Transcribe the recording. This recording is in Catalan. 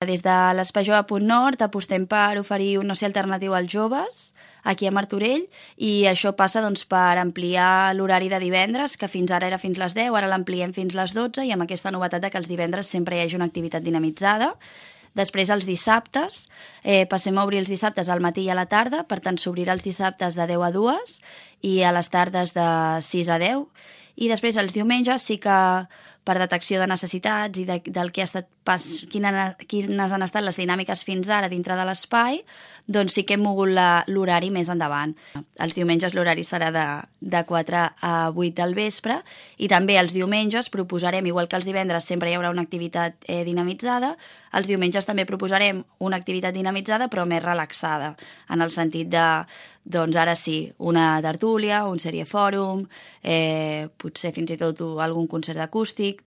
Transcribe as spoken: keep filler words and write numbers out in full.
Des de l'Espai Jove Punt Nord apostem per oferir un oci alternatiu als joves aquí a Martorell, i això passa doncs, per ampliar l'horari de divendres, que fins ara era fins les deu, ara l'ampliem fins les dotze, i amb aquesta novetat de que els divendres sempre hi hagi una activitat dinamitzada. Després, els dissabtes, eh, passem a obrir els dissabtes al matí i a la tarda, per tant, s'obrirà els dissabtes de deu a dues i a les tardes de sis a deu. I després, els diumenges, sí que per detecció de necessitats i de, del que ha estat pas, quina, quines han estat les dinàmiques fins ara dintre de l'espai, doncs sí que hem mogut l'horari més endavant. Els diumenges l'horari serà de, de quatre a vuit del vespre, i també els diumenges proposarem, igual que els divendres sempre hi haurà una activitat eh, dinamitzada, els diumenges també proposarem una activitat dinamitzada però més relaxada, en el sentit de, doncs ara sí, una tertúlia, un seriefòrum, eh, potser fins i tot algun concert acústic,